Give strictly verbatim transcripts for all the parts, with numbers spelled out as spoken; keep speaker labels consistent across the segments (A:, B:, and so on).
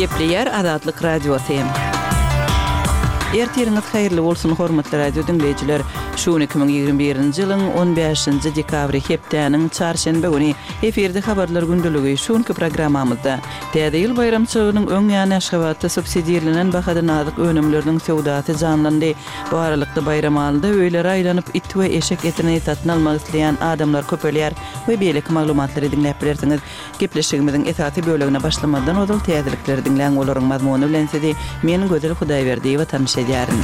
A: Gepleýär Azatlyk Radiosy. Ertiriňiz haýyrly bolsun, hormatly radio diňleýjiler. Şu gün iki müň ýigrimi birinji ýylyň on bäşinji dekabry, hepdäniň çarşenbe güni. Efirde habarlar gündeligi. Şu günki programmamyzda Täze ýyl baýramçylygynyň öň ýany Aşgabatda subsidirlenen bahadan azyk önümleriniň söwdasy janlandy. Bu aralykda Baýramalyda öýlere aýlanyp it we eşek etini satyn almak isleýän adamlar köpelýär we beýleki maglumatlary diňläp bilersiňiz. Gepleşigimiziň esasy bölegine başlamazdan ozal täzelikleri diňläň, olaryň mazmuny bilen sizi men Gözel Hudaýberdiýewa tanyş edýärin.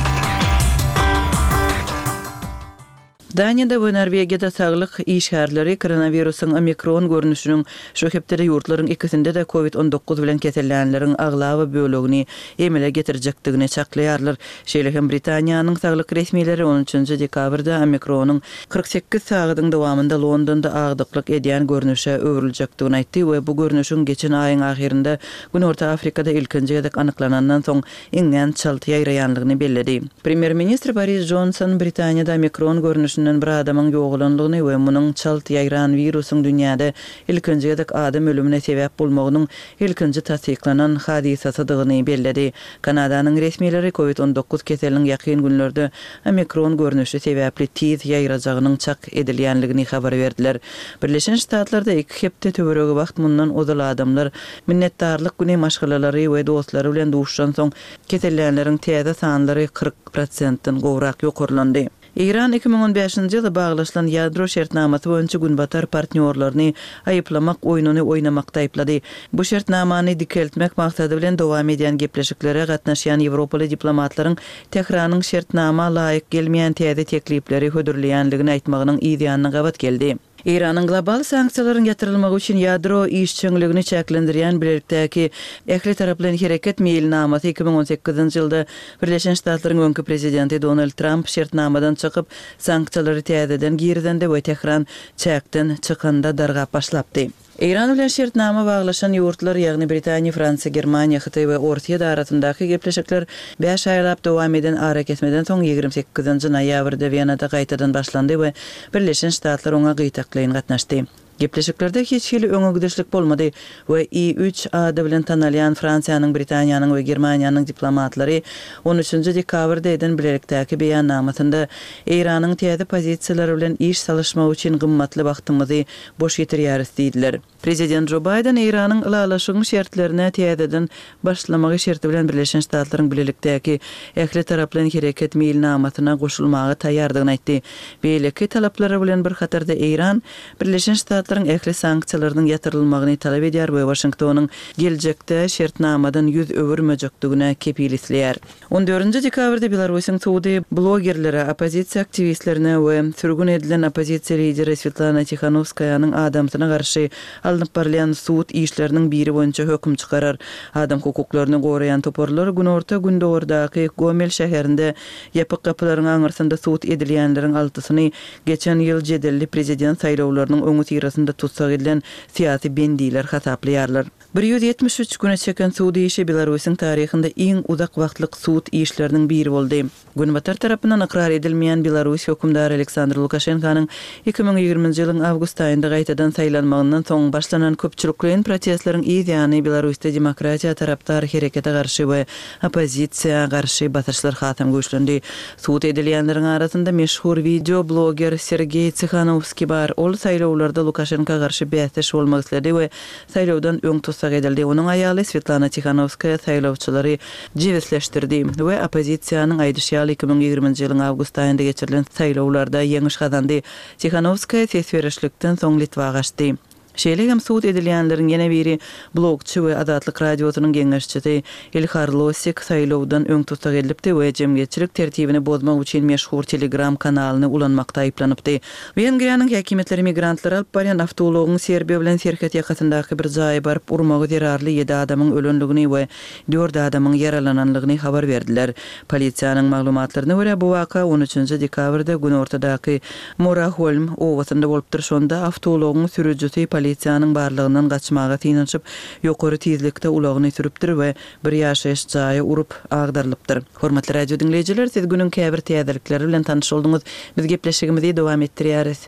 A: Daniýada we Norwegiýada saglyk işgärleri koronawirusyň omikron görnüşiniň şu hepdede ýurtlaryň ikisinde-de covid on dokuz bilen kesellänleriň aglaba bölegini emele getirjekdigini çaklaýarlar. Şeýle hem Britaniýanyň saglyk resmileri on üçünji dekabrda omikronyň kyrk sekiz sagadyň dowamynda Londonda agdyklyk edýän görnüşe öwrüljekdigini aýtdy we bu görnüşiň geçen aýyň ahyrynda Günorta Afrikada ilkinji gezek anyklanandan soň iňňän çalt ýaýraýanlygyny belledi. Premýer-ministr Boris Jonson Britaniýada omikron görnüşinden bir adamyň ýogalanlygyny we munuň çalt ýaýran wirusyň dünýäde ilkinji gezek adam ölümine sebäp bolmagynyň ilkinji tassyklanan hadysasydygyny belledi. Kanadanyň resmileri covid on dokuz keseliniň ýakyn günlerde omikron görnüşi sebäpli tiz ýaýrajagynyň çak edilýänligini habar berdiler. Birleşen Ştatlarda iki hepde töweregi wagt mundan ozal adamlar Minnetdarlyk güni maşgalalary we dostlary bilen duşuşansoň kesellänleriň täze sanlary kyrk prosentden gowrak ýokarlandy. Eýran iki müň on bäşinji ýylda baglaşylan ýadro şertnamasy boýunça Günbatar partnýorlaryny aýyplamak oýnuny oýnamakda aýyplady. Bu şertnamany dikeltmek maksady bilen dowam edýän gepleşiklere gatnaşýan ýewropaly diplomatlaryň Tähranyň şertnama laýyk gelmeýän täze teklipleri hödürleýänligini aýtmagynyň yz ýanyna gabat geldi. Eýranyň global sanksiýalaryň ýatyrylmagy üçin ýadro işjeňligini çäklendirýän bilelikdäki ählitaraplaýyn hereket meýilnamasy iki müň on sekizinji ýylda Birleşen Ştatlaryň öňki prezidenti Donald Tramp şertnamadan çykyp, sanksiýalary täzeden girizende we Tähran çäkden çykanda dargap başlapdy. Eýran bilen şertnama baglaşan ýurtlar, ýagny Britaniýa, Fransiýa, Germaniýa, Hytaý we Orsýet arasyndaky gepleşikler bäş aýlap dowam eden arakesmeden soň ýigrimi sekizinji noýabrda Wenada gaýtadan başlandy we Birleşen Ştatlar oňa gytaklaýyn gatnaşdy. Gepleşiklerde hiç hili öňe gidişlik bolmady we I üç ady bilen tanalýan Fransiýanyň, Britaniýanyň we Germaniýanyň diplomatlary on üçünji dekabrda eden bilelikdäki beýannamasynda Eýranyň täze pozisiýalary bilen iş salyşmagy üçin gymmatly wagtymyzy boş ýitirýäris diýdiler. Prezident Jo Baýden Eýranyň ylalaşygyň şertlerine täzeden başlamagy şerti bilen Birleşen Ştatlaryň bilelikdäki ählitaraplaýyn hereket meýilnamasyna goşulmaga taýýardygyny aýtdy. Beýleki talaplary bilen bir hatarda Eýran Birleşen Ştatlaryň ähli sanksiýalarynyň ýatyrylmagyny talap edýär we Waşingtonyň geljekde şertnamadan ýüz öwürmejekdigine kepil isleýär. On dördünji dekabrda Belarusyň sudy blogerlere, oppozisiýa aktiwistlerine we sürgün edilen oppozisiýa lideri Swetlana Tihanowskaýanyň adamsyna garşy alnyp barylýan sud işleriniň biri boýunça höküm çykarar. Adam hukuklaryny goraýan toparlar günorta-gündogardaky Gomel şäherinde ýapyk gapylaryň aňyrsynda sud edilýänleriň altysyny geçen ýyl jedelli prezident saýlawlarynyň öňüsyrasynda tussag edilen syýasy bendiler hasaplaýarlar. Bir ýüz ýetmiş üç güne çeken sud işi Belarusyň taryhynda iň uzak wagtlyk sud işleriniň biri boldy. Günbatar tarapyndan ykrar edilmeýän Belarus hökümdary Aleksandr Lukaşenkanyň iki müň ýigriminji ýylyň awgust aýynda gaýtadan saýlanmagyndan soň başlanan köpçülikleýin protestleriň yz ýany Belarusda demokratiýa tarapdar herekete garşy we oppozisiýa garşy basyşlar hasam güýçlendi. Sud edilýänleriň arasynda meşhur wideo-bloger Sergeý Tsihanowskiý bar. Ol saýlawlarda Lukaşenka garşy bäsdeş bolmak isledi we saýlawdan öň tussag edildi. Onuň aýaly Swetlana Tihanowskaýa saýlawçylary jebisleşdirdi we oppozisiýanyň aýdyşy ýaly iki müň ýigriminji ýylyň awgust aýynda geçirilen saýlawlarda ýeňiş gazandy. Tihanowskaýa ses berişlikden soň Litwa gaçdy. Şeýle hem sud edilýänleriň ýene biri blogçy we Azatlyk Radiosynyň geňeşçisi Ilhar Losik saýlawdan öň tussag edilipdi we jemgyýetçilik tertibini bozmak üçin meşhur Telegram kanalyny ulanmakda aýyplanypdy. Wengriýanyň häkimiýetleri migrantlary alyp barýan awtoulagyň Serbiýa bilen serhet ýakasyndaky bir jaýa baryp urmagy zerarly ýedi adamyň ölendigini we dört adamyň ýaralananlygyny habar berdiler. Polisiýanyň maglumatlaryna görä, bu waka on üçünji dekabrda günortadaky Moraholm obasynda bolupdyr. Şonda awtoulagyň sürüjisi polisiýanyň barlagyndan gaçmaga synanyşyp, ýokary tizlikde ulagyny sürüpdir we bir ýaşaýyş jaýa urup, agdarylypdyr. Hormatly radio diňleýjiler, siz günüň käbir täzelikleri bilen tanyş bolduňyz. Biz gepleşigimizi dowam etdirýäris.